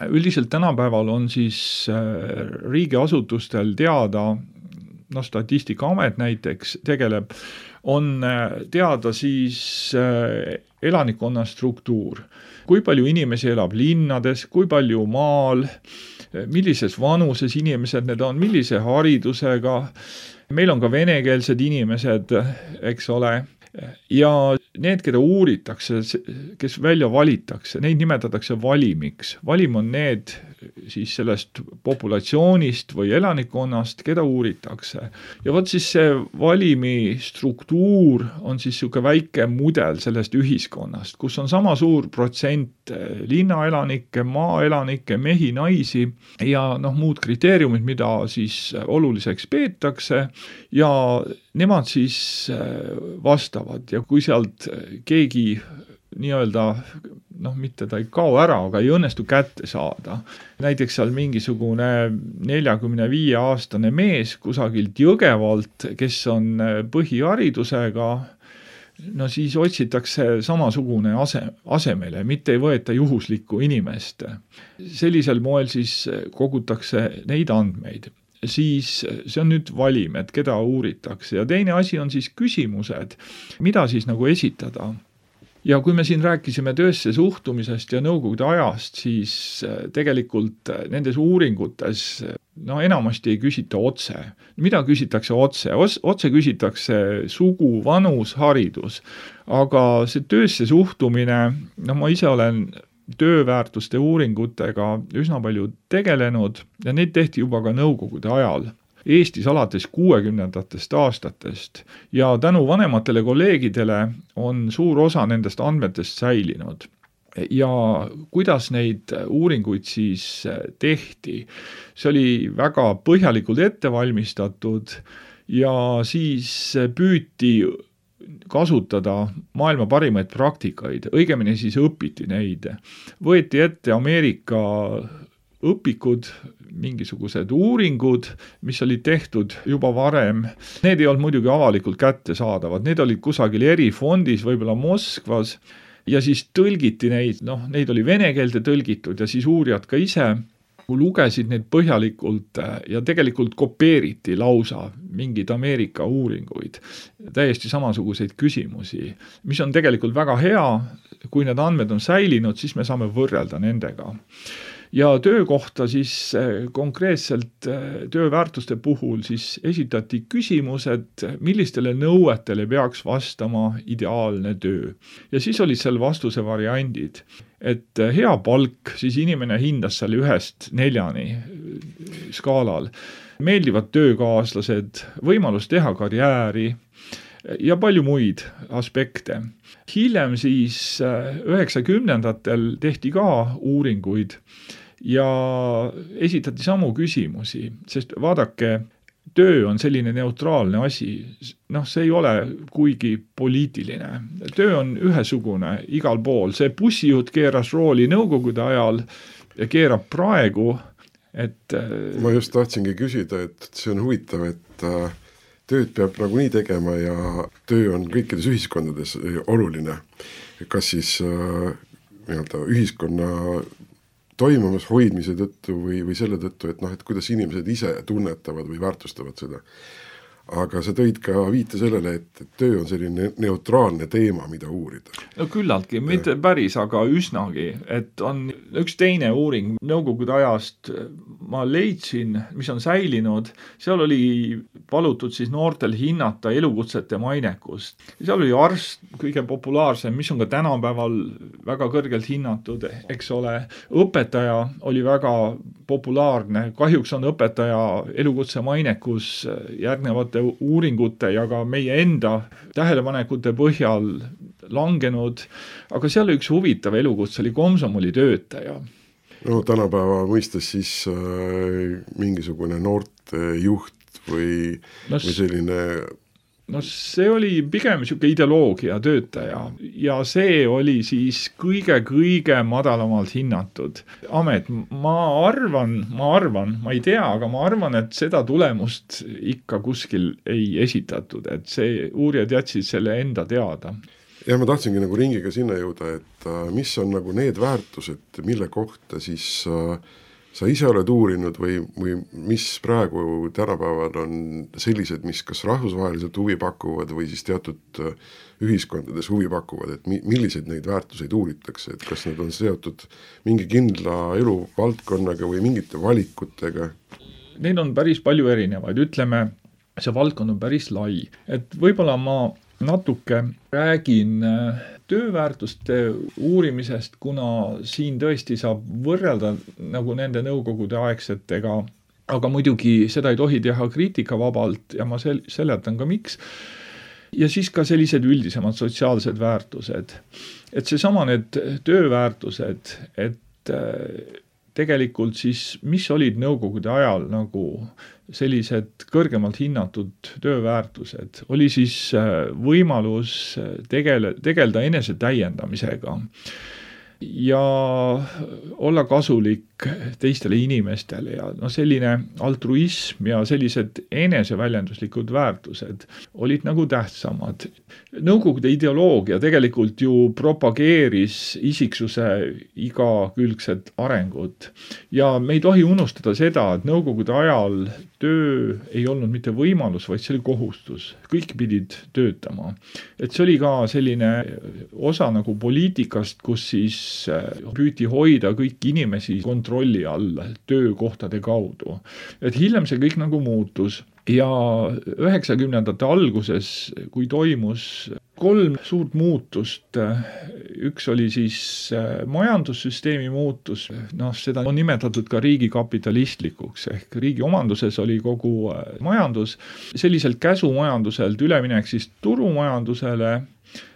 Üldiselt tänapäeval on siis riigiasutustel teada, Statistikaamet näiteks tegeleb, on teada siis elanikkonna struktuur. Kui palju inimesi elab linnades, kui palju maal, millises vanuses inimesed need on, millise haridusega. Meil on ka venekeelsed inimesed, eks ole, ja need, keda uuritakse, kes välja valitakse, neid nimetatakse valimiks. Valim on need siis sellest populatsioonist või elanikkonnast, keda uuritakse. Ja vot siis see valimistruktuur on siis niisugune väike mudel sellest ühiskonnast, kus on sama suur protsent linnaelanikke, maaelanikke, mehi, naisi ja muud kriteeriumid, mida siis oluliseks peetakse ja nemad siis vastavad ja kui sealt keegi nii-öelda, mitte ta ei kao ära, aga ei õnnestu kätte saada. Näiteks seal mingisugune 45-aastane mees kusagilt Jõgevalt, kes on põhiharidusega, siis otsitakse samasugune asemele, mitte ei võeta juhuslikku inimest. Sellisel moel siis kogutakse neid andmeid. Siis see on nüüd valim, et keda uuritakse. Ja teine asi on siis küsimused, mida siis esitada. Ja kui me siin rääkisime töösse suhtumisest ja nõukogude ajast, siis tegelikult nendes uuringutes enamasti ei küsita otse. Mida küsitakse otse? Otse küsitakse sugu, vanus, haridus. Aga see töösse suhtumine, ma ise olen tööväärtuste uuringutega üsna palju tegelenud ja neid tehti juba ka nõukogude ajal. Eestis alates 60ndatest aastatest ja tänu vanematele kolleegidele on suur osa nendest andmetest säilinud. Ja kuidas neid uuringuid siis tehti? See oli väga põhjalikult ette valmistatud ja siis püüti kasutada maailma parimaid praktikaid, õigemini siis õpiti neid. Võeti ette Ameerika õpikud, mingisugused uuringud, mis olid tehtud juba varem. Need ei olnud muidugi avalikult kättesaadavad, need olid kusagil erifondis, võib-olla Moskvas, ja siis tõlgiti neid, neid oli vene keelde tõlgitud ja siis uurijad ka ise lugesid neid põhjalikult ja tegelikult kopeeriti lausa mingeid Ameerika uuringuid, täiesti samasuguseid küsimusi, mis on tegelikult väga hea, kui need andmed on säilinud, siis me saame võrrelda nendega. Ja töökohta siis konkreetselt tööväärtuste puhul siis esitati küsimused, millistele nõuetele peaks vastama ideaalne töö. Ja siis olid seal vastuse variandid, et hea palk, siis inimene hindas seal 1-4 skaalal, meeldivad töökaaslased, võimalus teha karjääri ja palju muid aspekte. Hiljem siis 90ndatel tehti ka uuringuid ja esitati samu küsimusi, sest vaadake, töö on selline neutraalne asi, see ei ole kuigi poliitiline. Töö on ühesugune igal pool, see bussijuht keeras rooli nõukogude ajal ja keerab praegu, et ma just tahtsingi küsida, et see on huvitav, et tööd peab nagunii tegema ja töö on kõikides ühiskondades oluline. Kas siis ühiskonna toimumas hoidmise tõttu või selle tõttu, et kuidas inimesed ise tunnetavad või väärtustavad seda. Aga sa tõid ka viite sellele, et töö on selline neutraalne teema, mida uurida. No küllaltki, mitte päris, aga üsnagi, et on üks teine uuring nõukogude ajast, ma leidsin, mis on säilinud, seal oli palutud siis noortel hinnata elukutsete mainekust. Seal oli arst kõige populaarsem, mis on ka tänapäeval väga kõrgelt hinnatud, eks ole. Õpetaja oli väga populaarne, kahjuks on õpetaja elukutse mainekus järgnevad uuringute ja ka meie enda tähelepanekute põhjal langenud, aga seal üks huvitav elukutse oli komsomoli töötaja. Tänapäeva mõistes siis mingisugune noortejuht või selline... see oli pigem niisugune ideoloogia töötaja ja see oli siis kõige madalamalt hinnatud amet. Ma arvan, ma ei tea, aga ma arvan, et seda tulemust ikka kuskil ei esitatud, et see uurijad jätsid selle enda teada. Ja ma tahtsingi ringiga sinna jõuda, et mis on need väärtused, mille kohta siis sa ise oled uurinud või mis praegu tänapäeval on sellised, mis kas rahvusvaheliselt huvi pakuvad või siis teatud ühiskondades huvi pakuvad, et milliseid neid väärtuseid uuritakse, et kas need on seotud mingi kindla eluvaldkonnaga või mingite valikutega? Neid on päris palju erinevaid, ütleme, see valdkond on päris lai, et võib-olla ma natuke räägin tööväärtuste uurimisest, kuna siin tõesti saab võrrelda nagu nende nõukogude aegsetega, aga muidugi seda ei tohi teha kriitikavabalt ja ma seletan ka miks. Ja siis ka sellised üldisemad sotsiaalsed väärtused. Et seesama need tööväärtused, et tegelikult siis, mis olid nõukogude ajal nagu sellised kõrgemalt hinnatud tööväärtused, oli siis võimalus tegelda enese täiendamisega ja olla kasulik teistele inimestele ja selline altruism ja sellised eneseväljenduslikud väärtused olid nagu tähtsamad. Nõukogude ideoloogia tegelikult ju propageeris isiksuse igakülgset arengut ja me ei tohi unustada seda, et nõukogude ajal töö ei olnud mitte võimalus, vaid see oli kohustus. Kõik pidid töötama. Et see oli ka selline osa nagu poliitikast, kus siis püüti hoida kõiki inimesi kontrolli all töökohtade kaudu. Et hiljem see kõik nagu muutus ja 90ndate alguses, kui toimus 3 suurt muutust, üks oli siis majandussüsteemi muutus, seda on nimetatud ka riigikapitalistlikuks, ehk riigi omanduses oli kogu majandus, selliselt käsumajanduselt üleminek siis turumajandusele,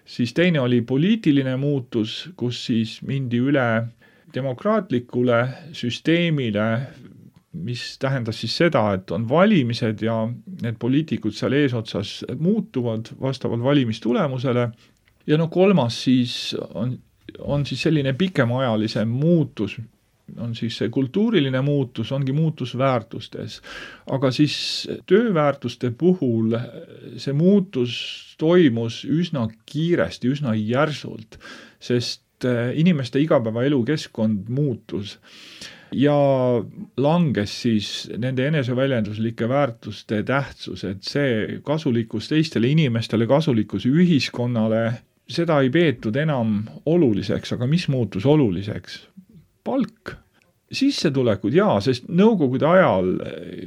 siis teine oli poliitiline muutus, kus siis mindi üle demokraatlikule süsteemile, mis tähendas siis seda, et on valimised ja need poliitikud seal eesotsas muutuvad vastavalt valimistulemusele. Ja kolmas siis on siis selline pikemaajalise muutus, on siis see kultuuriline muutus, ongi muutus väärtustes. Aga siis tööväärtuste puhul see muutus toimus üsna kiiresti, üsna järsult, sest inimeste igapäevaelu keskkond muutus ja langes siis nende eneseväljenduslike väärtuste tähtsus, et see kasulikkus teistele inimestele, kasulikkus ühiskonnale, seda ei peetud enam oluliseks, aga mis muutus oluliseks? Palk. Sissetulekud, sest nõukogude ajal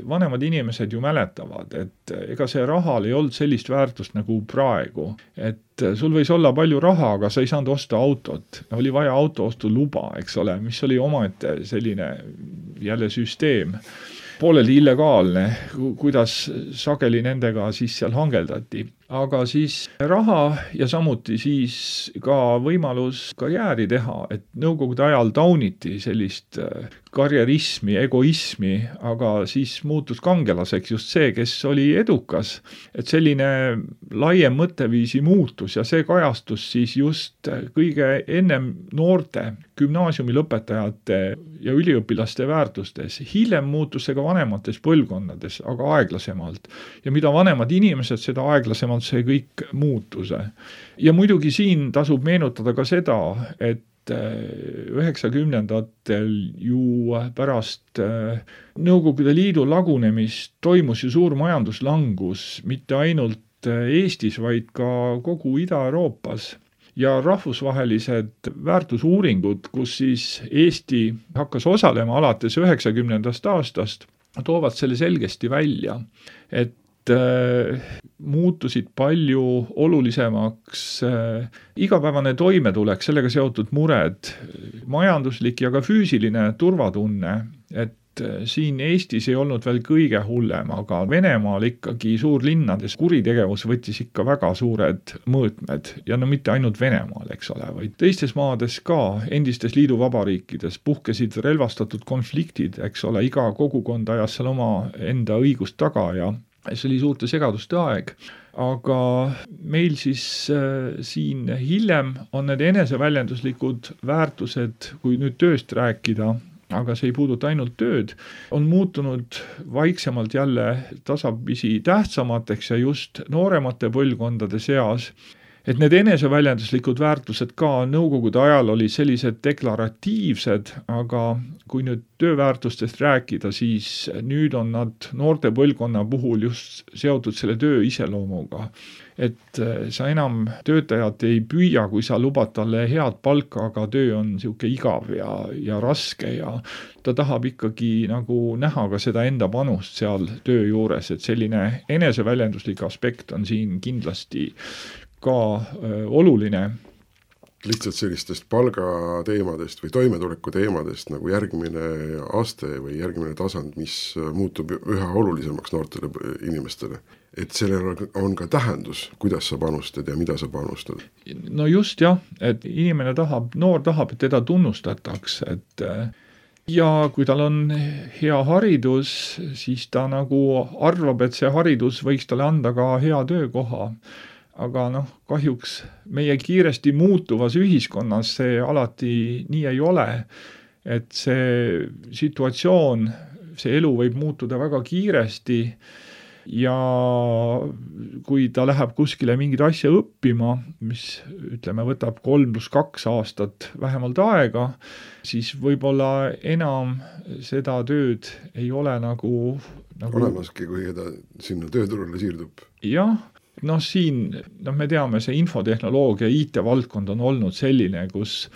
vanemad inimesed ju mäletavad, et ega see rahal ei olnud sellist väärtust nagu praegu, et sul võis olla palju raha, aga sa ei saanud osta autot, oli vaja autoostu luba, eks ole, mis oli omaette selline jälle süsteem, pooleli illegaalne, kuidas sageli nendega siis seal hangeldati. Aga siis raha ja samuti siis ka võimalus karjääri teha, et nõukogude ajal tauniti sellist karjerismi, egoismi, aga siis muutus kangelaseks just see, kes oli edukas. Et selline laiem mõtteviisi muutus ja see kajastus siis just kõige ennem noorte gümnaasiumi lõpetajate ja üliõpilaste väärtustes. Hiljem muutus see ka vanemates põlvkondades, aga aeglasemalt. Ja mida vanemad inimesed, seda aeglasemalt see kõik muutuse. Ja muidugi siin tasub meenutada ka seda, et 90ndatel ju pärast Nõukogude Liidu lagunemist toimus ju suur majanduslangus, mitte ainult Eestis, vaid ka kogu Ida-Euroopas. Ja rahvusvahelised väärtusuuringud, kus siis Eesti hakkas osalema alates 90. aastast, toovad selle selgesti välja, et muutusid palju olulisemaks igapäevane toimetulek, sellega seotud mured, majanduslik ja ka füüsiline turvatunne, et siin Eestis ei olnud veel kõige hullem, aga Venemaal ikkagi suurlinnades kuritegevus võttis ikka väga suured mõõtmed ja mitte ainult Venemaal, eks ole, vaid teistes maades ka, endistes liiduvabariikides puhkesid relvastatud konfliktid, eks ole, iga kogukond ajas seal oma enda õigust taga ja see oli suurte segaduste aeg, aga meil siis siin hiljem on need eneseväljenduslikud väärtused, kui nüüd tööst rääkida, aga see ei puuduta ainult tööd, on muutunud vaiksemalt jälle tasapisi tähtsamateks ja just nooremate põlvkondade seas. Et need eneseväljenduslikud väärtused ka nõukogude ajal olid sellised deklaratiivsed, aga kui nüüd tööväärtustest rääkida, siis nüüd on nad noorte põlvkonna puhul just seotud selle töö iseloomuga. Et sa enam töötajat ei püüa, kui sa lubad talle head palka, aga töö on siuke igav ja raske ja ta tahab ikkagi nagu näha ka seda enda panust seal töö juures, et selline eneseväljenduslik aspekt on siin kindlasti ka oluline. lihtsalt sellistest palgateemadest või toimetuleku teemadest nagu järgmine aste või järgmine tasand, mis muutub üha olulisemaks noortele inimestele. Et sellel on ka tähendus, kuidas sa panustad ja mida sa panustad. No just jah, et inimene noor tahab, et teda tunnustataks, et ja kui tal on hea haridus, siis ta nagu arvab, et see haridus võiks talle anda ka hea töökoha. Aga kahjuks meie kiiresti muutuvas ühiskonnas see alati nii ei ole, et see situatsioon, see elu võib muutuda väga kiiresti ja kui ta läheb kuskile mingit asja õppima, mis ütleme võtab 3+2 aastat vähemalt aega, siis võib-olla enam seda tööd ei ole nagu olemaski, kui ta sinna tööturule siirdub. Jah, siin me teame, see infotehnoloogia IT-valdkond on olnud selline, kus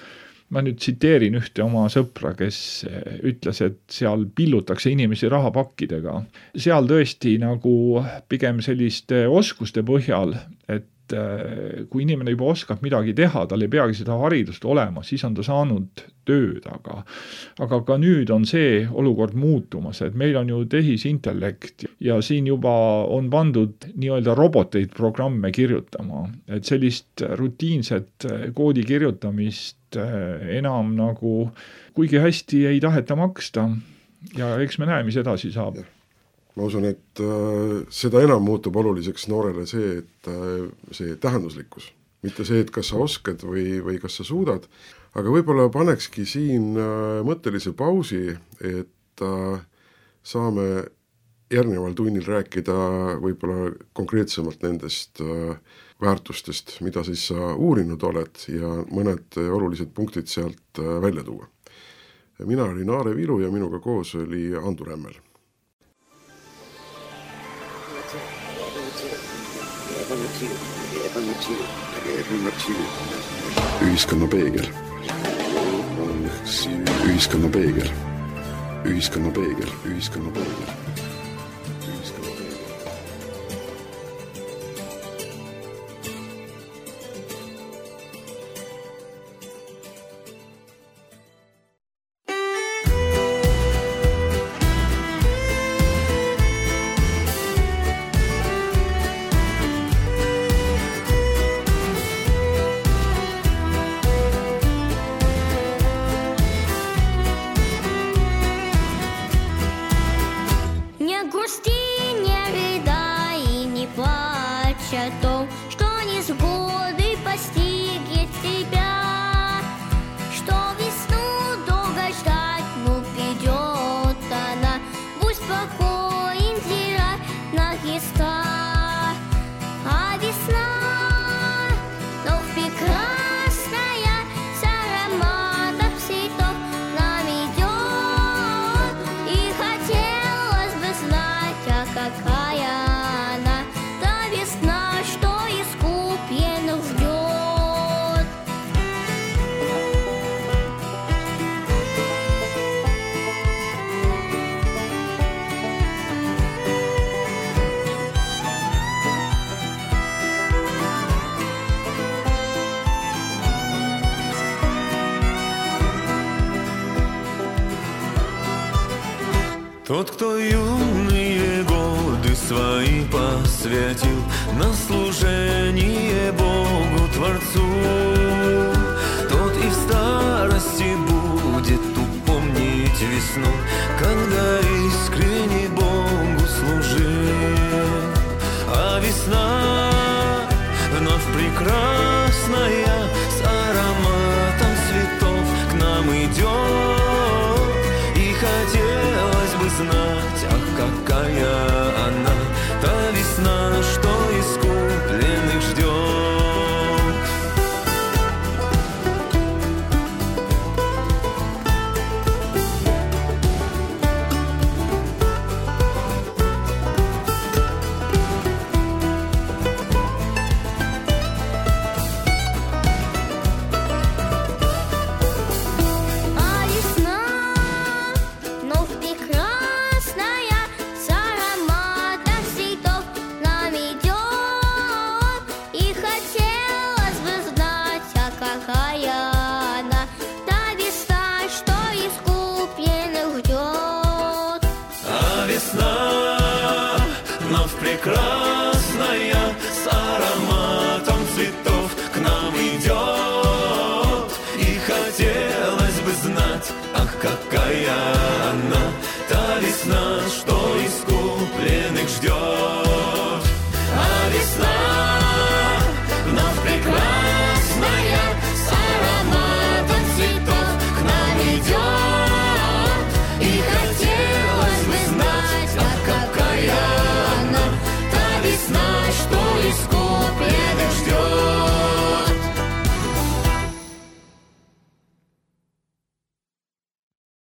ma nüüd tsiteerin ühte oma sõpra, kes ütles, et seal pillutakse inimesi rahapakkidega. Seal tõesti nagu pigem selliste oskuste põhjal, et kui inimene juba oskab midagi teha, tal ei peagi seda haridust olema, siis on ta saanud tööd, aga ka nüüd on see olukord muutumas, et meil on ju tehisintellekt ja siin juba on pandud nii-öelda roboteid programme kirjutama, et sellist rutiinset koodi kirjutamist enam nagu kuigi hästi ei taheta maksta ja eks me näe, mis edasi saab. Ma usun, et seda enam muutub oluliseks noorele see, et see tähenduslikkus. Mitte see, et kas sa oskad või kas sa suudad, aga võib-olla panekski siin mõttelise pausi, et saame järgneval tunnil rääkida võib-olla konkreetsemalt nendest väärtustest, mida siis sa uurinud oled ja mõned olulised punktid sealt välja tuua. Mina olin Aare Vilu ja minuga koos oli Andu Rämmel. Ühiskonna peegel. Ühiskonna peegel. Ühiskonna peegel. Ühiskonna peegel. Тот, кто юные годы свои посвятил на служение Богу Творцу, тот и в старости будет упомнить весну, когда искренне Богу служил. А весна вновь прекрасная с ароматом цветов к нам идет, и хотелось бы знать, ах, какая она, та весна, что искупленных ждет. А весна вновь прекрасная с ароматом она, та весна, что искупленных ждет. А весна вновь прекрасная, с ароматом цветов к нам идет. И хотелось бы знать, ах, какая